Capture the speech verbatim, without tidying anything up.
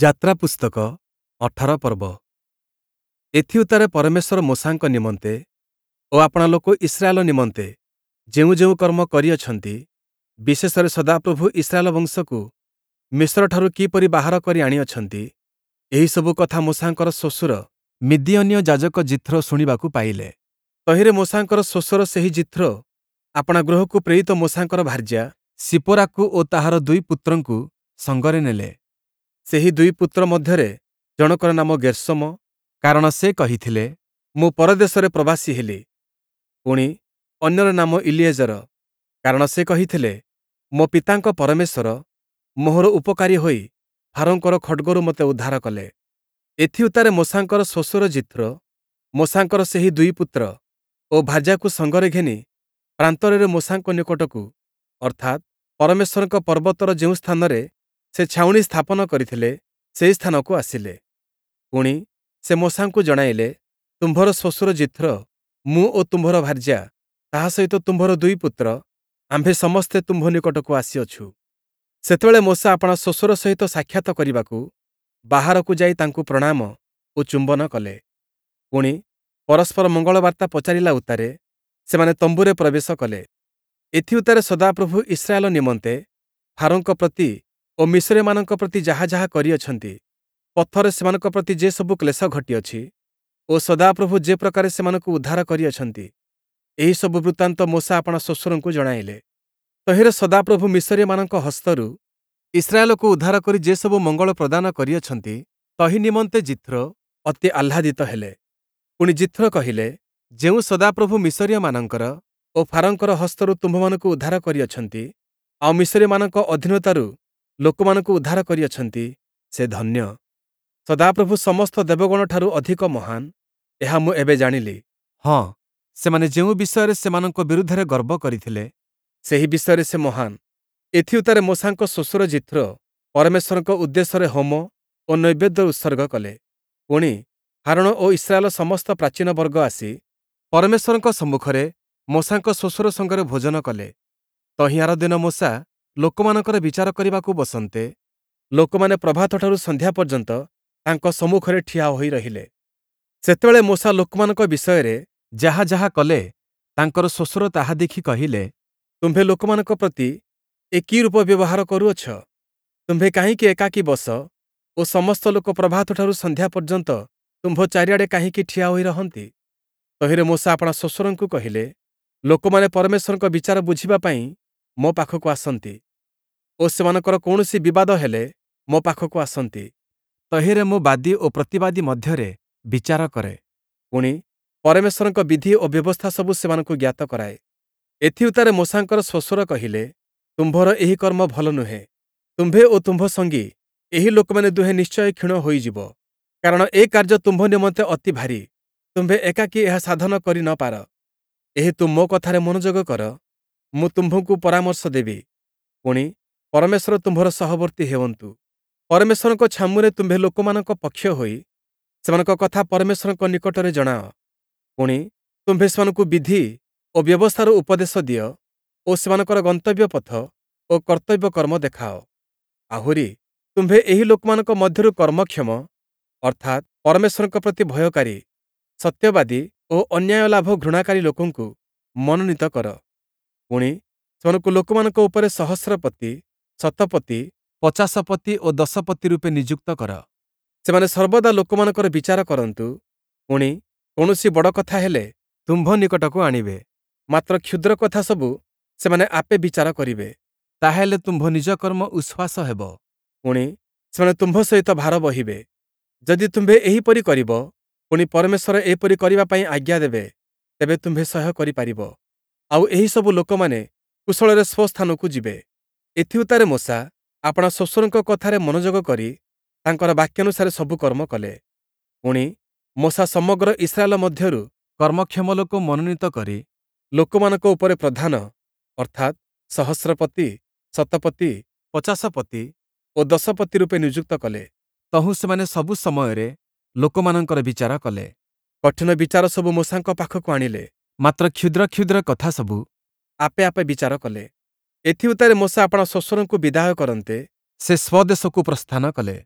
ଯାତ୍ରା ପୁସ୍ତକ ଅଠର ପର୍ବ। ଏଥିଉତ୍ତାରେ ପରମେଶ୍ୱର ମୋଶାଙ୍କ ନିମନ୍ତେ ଓ ଆପଣା ଲୋକ ଇସ୍ରାଏଲ ନିମନ୍ତେ ଯେଉଁ ଯେଉଁ କର୍ମ କରିଅଛନ୍ତି, ବିଶେଷରେ ସଦାପ୍ରଭୁ ଇସ୍ରାଏଲ ବଂଶକୁ ମିଶରଠାରୁ କିପରି ବାହାର କରି ଆଣିଅଛନ୍ତି, ଏହିସବୁ କଥା ମୋଶାଙ୍କର ଶ୍ୱଶୁର ମିଦିୟନୀୟ ଯାଜକ ଯିଥ୍ରୋ ଶୁଣିବାକୁ ପାଇଲେ। ତହିଁରେ ମୋଶାଙ୍କର ଶ୍ୱଶୁର ସେହି ଯିଥ୍ରୋ ଆପଣା ଗୃହକୁ ପ୍ରେରିତ ମୋଶାଙ୍କର ଭାର୍ଯ୍ୟା ସିପୋରାକୁ ଓ ତାହାର ଦୁଇ ପୁତ୍ରଙ୍କୁ ସଙ୍ଗରେ ନେଲେ। ସେହି ଦୁଇ ପୁତ୍ର ମଧ୍ୟରେ ଜଣକର ନାମ ଗେର୍ଶୋମ, କାରଣ ସେ କହିଥିଲେ, ମୁଁ ପରଦେଶରେ ପ୍ରବାସୀ ହେଲି। ପୁଣି ଅନ୍ୟର ନାମ ଇଲିଏଜର, କାରଣ ସେ କହିଥିଲେ, ମୋ ପିତାଙ୍କ ପରମେଶ୍ୱର ମୋହର ଉପକାରୀ ହୋଇ ଫାରୋଙ୍କର ଖଡ଼୍ଗରୁ ମୋତେ ଉଦ୍ଧାର କଲେ। ଏଥିଉତ୍ତାରେ ମୋଶାଙ୍କର ଶ୍ୱଶୁର ଯିଥ୍ରୋ ମୋଶାଙ୍କର ସେହି ଦୁଇ ପୁତ୍ର ଓ ଭାର୍ଯ୍ୟାକୁ ସଙ୍ଗରେ ଘେନି ପ୍ରାନ୍ତରରେ ମୋଶାଙ୍କ ନିକଟକୁ, ଅର୍ଥାତ୍ ପରମେଶ୍ୱରଙ୍କ ପର୍ବତର ଯେଉଁ ସ୍ଥାନରେ ସେ ଛାଉଣି ସ୍ଥାପନ କରିଥିଲେ, ସେହି ସ୍ଥାନକୁ ଆସିଲେ। ପୁଣି ସେ ମୋଶାଙ୍କୁ ଜଣାଇଲେ, ତୁମ୍ଭର ଶ୍ୱଶୁର ଯିଥ୍ରୋ, ମୁଁ ଓ ତୁମ୍ଭର ଭାର୍ଯ୍ୟା, ତାହା ସହିତ ତୁମ୍ଭର ଦୁଇ ପୁତ୍ର, ଆମ୍ଭେ ସମସ୍ତେ ତୁମ୍ଭ ନିକଟକୁ ଆସିଅଛୁ। ସେତେବେଳେ ମୋଶା ଆପଣା ଶ୍ୱଶୁର ସହିତ ସାକ୍ଷାତ କରିବାକୁ ବାହାରକୁ ଯାଇ ତାଙ୍କୁ ପ୍ରଣାମ ଓ ଚୁମ୍ବନ କଲେ। ପୁଣି ପରସ୍ପର ମଙ୍ଗଳବାର୍ତ୍ତା ପଚାରିଲା ଉତ୍ତାରେ ସେମାନେ ତମ୍ବୁରେ ପ୍ରବେଶ କଲେ। ଏଥିଉତ୍ତାରେ ସଦାପ୍ରଭୁ ଇସ୍ରାଏଲ ନିମନ୍ତେ ଫାରୋଙ୍କ ପ୍ରତି ଓ ମିଶରୀୟମାନଙ୍କ ପ୍ରତି ଯାହା ଯାହା କରିଅଛନ୍ତି, ପଥରେ ସେମାନଙ୍କ ପ୍ରତି ଯେସବୁ କ୍ଲେଶ ଘଟିଅଛି ଓ ସଦାପ୍ରଭୁ ଯେ ପ୍ରକାରେ ସେମାନଙ୍କୁ ଉଦ୍ଧାର କରିଅଛନ୍ତି, ଏହିସବୁ ବୃତ୍ତାନ୍ତ ମୋଶା ଆପଣା ଶ୍ୱଶୁରଙ୍କୁ ଜଣାଇଲେ। ତହିଁରେ ସଦାପ୍ରଭୁ ମିଶରୀୟମାନଙ୍କ ହସ୍ତରୁ ଇସ୍ରାଏଲକୁ ଉଦ୍ଧାର କରି ଯେସବୁ ମଙ୍ଗଳ ପ୍ରଦାନ କରିଅଛନ୍ତି, ତହିଁ ନିମନ୍ତେ ଯିଥ୍ରୋ ଅତି ଆହ୍ଲାଦିତ ହେଲେ। ପୁଣି ଯିଥ୍ରୋ କହିଲେ, ଯେଉଁ ସଦାପ୍ରଭୁ ମିଶରୀୟମାନଙ୍କର ଓ ଫାରୋଙ୍କର ହସ୍ତରୁ ତୁମ୍ଭମାନଙ୍କୁ ଉଦ୍ଧାର କରିଅଛନ୍ତି, ଆଉ ମିଶରୀୟମାନଙ୍କ ଅଧୀନତାରୁ ଲୋକମାନଙ୍କୁ ଉଦ୍ଧାର କରିଅଛନ୍ତି, ସେ ଧନ୍ୟ। ସଦାପ୍ରଭୁ ସମସ୍ତ ଦେବଗଣଠାରୁ ଅଧିକ ମହାନ, ଏହା ମୁଁ ଏବେ ଜାଣିଲି। ହଁ, ସେମାନେ ଯେଉଁ ବିଷୟରେ ସେମାନଙ୍କ ବିରୁଦ୍ଧରେ ଗର୍ବ କରିଥିଲେ, ସେହି ବିଷୟରେ ସେ ମହାନ। ଏଥିଉତ୍ତାରେ ମୋଶାଙ୍କ ଶ୍ୱଶୁର ଯିଥ୍ରୋ ପରମେଶ୍ୱରଙ୍କ ଉଦ୍ଦେଶ୍ୟରେ ହୋମ ଓ ନୈବେଦ୍ୟ ଉତ୍ସର୍ଗ କଲେ। ପୁଣି ହାରୋଣ ଓ ଇସ୍ରାଏଲ ସମସ୍ତ ପ୍ରାଚୀନବର୍ଗ ଆସି ପରମେଶ୍ୱରଙ୍କ ସମ୍ମୁଖରେ ମୋଶାଙ୍କ ଶ୍ୱଶୁର ସଙ୍ଗରେ ଭୋଜନ କଲେ। ତହିଁ ଆରଦିନ ମୋଶା ଲୋକମାନଙ୍କର ବିଚାର କରିବାକୁ ବସନ୍ତେ, ଲୋକମାନେ ପ୍ରଭାତଠାରୁ ସନ୍ଧ୍ୟା ପର୍ଯ୍ୟନ୍ତ ତାଙ୍କ ସମ୍ମୁଖରେ ଠିଆ ହୋଇ ରହିଲେ। ସେତେବେଳେ ମୋଶା ଲୋକମାନଙ୍କ ବିଷୟରେ ଯାହା ଯାହା କଲେ, ତାଙ୍କର ଶ୍ୱଶୁର ତାହା ଦେଖି କହିଲେ, ତୁମ୍ଭେ ଲୋକମାନଙ୍କ ପ୍ରତି ଏ କି ରୂପ ବ୍ୟବହାର କରୁଅଛ? ତୁମ୍ଭେ କାହିଁକି ଏକାକୀ ବସ ଓ ସମସ୍ତ ଲୋକ ପ୍ରଭାତଠାରୁ ସନ୍ଧ୍ୟା ପର୍ଯ୍ୟନ୍ତ ତୁମ୍ଭ ଚାରିଆଡ଼େ କାହିଁକି ଠିଆ ହୋଇ ରହନ୍ତି? ତହିଁରେ ମୋଶା ଆପଣା ଶ୍ୱଶୁରଙ୍କୁ କହିଲେ, ଲୋକମାନେ ପରମେଶ୍ୱରଙ୍କ ବିଚାର ବୁଝିବା ପାଇଁ ମୋ ପାଖକୁ ଆସନ୍ତି ଓ ସେମାନଙ୍କର କୌଣସି ବିବାଦ ହେଲେ ମୋ ପାଖକୁ ଆସନ୍ତି। ତହିଁରେ ମୁଁ ବାଦୀ ଓ ପ୍ରତିବାଦୀ ମଧ୍ୟରେ ବିଚାର କରେ। ପୁଣି ପରମେଶ୍ୱରଙ୍କ ବିଧି ଓ ବ୍ୟବସ୍ଥା ସବୁ ସେମାନଙ୍କୁ ଜ୍ଞାତ କରାଏ। ଏଥିଉତ୍ତାରେ ମୋଶାଙ୍କର ଶ୍ୱଶୁର କହିଲେ, ତୁମ୍ଭର ଏହି କର୍ମ ଭଲ ନୁହେଁ। ତୁମ୍ଭେ ଓ ତୁମ୍ଭ ସଙ୍ଗୀ ଏହି ଲୋକମାନେ ଦୁହେଁ ନିଶ୍ଚୟ କ୍ଷୀଣ ହୋଇଯିବ, କାରଣ ଏ କାର୍ଯ୍ୟ ତୁମ୍ଭ ନିମନ୍ତେ ଅତି ଭାରୀ, ତୁମ୍ଭେ ଏକାକୀ ଏହା ସାଧନ କରି ନ ପାର। ଏହେତୁ ମୋ କଥାରେ ମନୋଯୋଗ କର, ମୁଁ ତୁମ୍ଭଙ୍କୁ ପରାମର୍ଶ ଦେବି, ପୁଣି ପରମେଶ୍ୱର ତୁମ୍ଭର ସହବର୍ତ୍ତୀ ହେଉନ୍ତୁ। ପରମେଶ୍ୱରଙ୍କ ଛାମୁରେ ତୁମ୍ଭେ ଲୋକମାନଙ୍କ ପକ୍ଷ ହୋଇ ସେମାନଙ୍କ କଥା ପରମେଶ୍ୱରଙ୍କ ନିକଟରେ ଜଣାଅ। ପୁଣି ତୁମ୍ଭେ ସେମାନଙ୍କୁ ବିଧି ଓ ବ୍ୟବସ୍ଥାର ଉପଦେଶ ଦିଅ ଓ ସେମାନଙ୍କର ଗନ୍ତବ୍ୟ ପଥ ଓ କର୍ତ୍ତବ୍ୟ କର୍ମ ଦେଖାଅ। ଆହୁରି ତୁମ୍ଭେ ଏହି ଲୋକମାନଙ୍କ ମଧ୍ୟରୁ କର୍ମକ୍ଷମ, ଅର୍ଥାତ୍ ପରମେଶ୍ୱରଙ୍କ ପ୍ରତି ଭୟକାରୀ, ସତ୍ୟବାଦୀ ଓ ଅନ୍ୟାୟ ଲାଭ ଘୃଣାକାରୀ ଲୋକଙ୍କୁ ମନୋନୀତ କର। ପୁଣି ସେମାନଙ୍କୁ ଲୋକମାନଙ୍କ ଉପରେ ସହସ୍ରପତି, ଶତପତି, ପଚାଶପତି ଓ ଦଶପତି ରୂପେ ନିଯୁକ୍ତ କର। ସେମାନେ ସର୍ବଦା ଲୋକମାନଙ୍କର ବିଚାର କରନ୍ତୁ। ପୁଣି କୌଣସି ବଡ଼ କଥା ହେଲେ ତୁମ୍ଭ ନିକଟକୁ ଆଣିବେ, ମାତ୍ର କ୍ଷୁଦ୍ର କଥା ସବୁ ସେମାନେ ଆପେ ବିଚାର କରିବେ। ତାହାହେଲେ ତୁମ୍ଭ ନିଜ କର୍ମ ଉଶ୍ୱାସ ହେବ, ପୁଣି ସେମାନେ ତୁମ୍ଭ ସହିତ ଭାର ବହିବେ। ଯଦି ତୁମ୍ଭେ ଏହିପରି କରିବ, ପୁଣି ପରମେଶ୍ୱର ଏପରି କରିବା ପାଇଁ ଆଜ୍ଞା ଦେବେ, ତେବେ ତୁମ୍ଭେ ସହ୍ୟ କରିପାରିବ। ଆଉ ଏହିସବୁ ଲୋକମାନେ କୁଶଳରେ ସ୍ୱସ୍ଥାନକୁ ଯିବେ। ଏଥିଉତ୍ତାରେ ମୋଶା ଆପଣା ଶ୍ୱଶୁରଙ୍କ କଥାରେ ମନୋଯୋଗ କରି ତାଙ୍କର ବାକ୍ୟାନୁସାରେ ସବୁ କର୍ମ କଲେ। ପୁଣି ମୋଶା ସମଗ୍ର ଇସ୍ରାଏଲ ମଧ୍ୟରୁ କର୍ମକ୍ଷମ ଲୋକ ମନୋନୀତ କରି ଲୋକମାନଙ୍କ ଉପରେ ପ୍ରଧାନ, ଅର୍ଥାତ୍ ସହସ୍ରପତି, ଶତପତି, ପଚାଶପତି ଓ ଦଶପତି ରୂପେ ନିଯୁକ୍ତ କଲେ। ତହୁଁ ସେମାନେ ସବୁ ସମୟରେ ଲୋକମାନଙ୍କର ବିଚାର କଲେ। କଠିନ ବିଚାର ସବୁ ମୋଶାଙ୍କ ପାଖକୁ ଆଣିଲେ, ମାତ୍ର କ୍ଷୁଦ୍ର କ୍ଷୁଦ୍ର କଥା ସବୁ ଆପେ ଆପେ ବିଚାର କଲେ। ଏଥିଉତ୍ତାରେ ମୋଶା ଆପଣା ଶ୍ୱଶୁରଙ୍କୁ ବିଦାୟ କରନ୍ତେ, ସେ ସ୍ୱଦେଶକୁ ପ୍ରସ୍ଥାନ କଲେ।